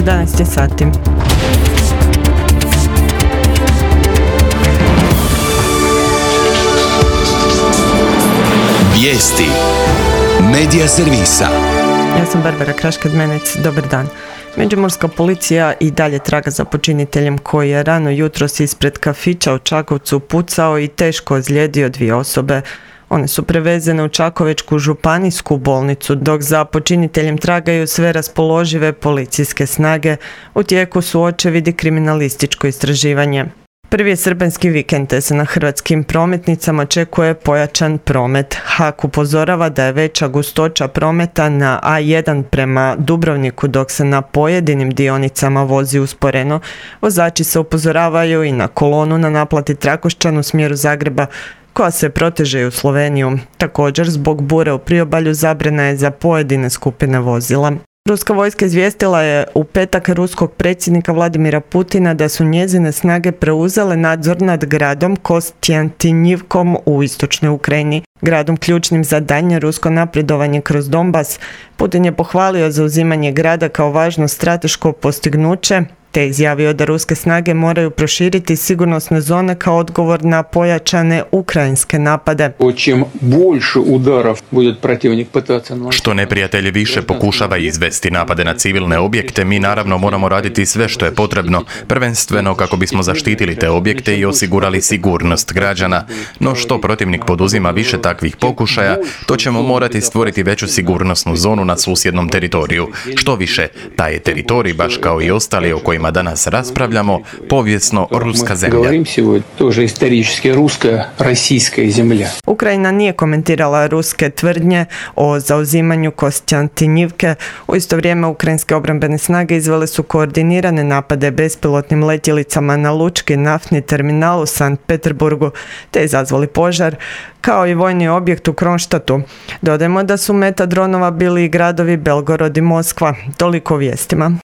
11 sati. Vijesti Medija servisa. Ja sam Barbara Kraškad-Menec, dobar dan. Međimurska policija i dalje traga za počiniteljem koji je rano jutros ispred kafića u Čakovcu pucao i teško ozlijedio 2 osobe. One su prevezene u Čakovečku županijsku bolnicu, dok za počiniteljem tragaju sve raspoložive policijske snage. U tijeku su očevidi kriminalističko istraživanje. Prvi je srpanjski vikend, te se na hrvatskim prometnicama očekuje pojačan promet. HAK upozorava da je veća gustoća prometa na A1 prema Dubrovniku, dok se na pojedinim dionicama vozi usporeno. Vozači se upozoravaju i na kolonu na naplati Trakošćan u smjeru Zagreba, koja se proteže u Sloveniju. Također, zbog bure u priobalju zabrana je za pojedine skupine vozila. Ruska vojska izvijestila je u petak ruskog predsjednika Vladimira Putina da su njezine snage preuzele nadzor nad gradom Kostjantinjivkom u istočnoj Ukrajini, gradom ključnim za daljnje rusko napredovanje kroz Donbas. Putin je pohvalio zauzimanje grada kao važno strateško postignuće, te izjavio da ruske snage moraju proširiti sigurnosne zone kao odgovor na pojačane ukrajinske napade. Što neprijatelj više pokušava izvesti napade na civilne objekte, mi naravno moramo raditi sve što je potrebno, prvenstveno kako bismo zaštitili te objekte i osigurali sigurnost građana. No što protivnik poduzima više takvih pokušaja, to ćemo morati stvoriti veću sigurnosnu zonu na susjednom teritoriju. Što više, taj je teritorij, baš kao i ostali o kojima danas raspravljamo, povijesno ruska zemlja. Ukrajina nije komentirala ruske tvrdnje o zauzimanju Kostjantinjivke. U isto vrijeme ukrajinske obrambene snage izvele su koordinirane napade bespilotnim letjelicama na lučki naftni terminal u Sankt Peterburgu, te izazvali požar, kao i vojni objekt u Kronštatu. Dodajmo da su meta dronova bili i gradovi Belgorod i Moskva. Toliko o vijestima.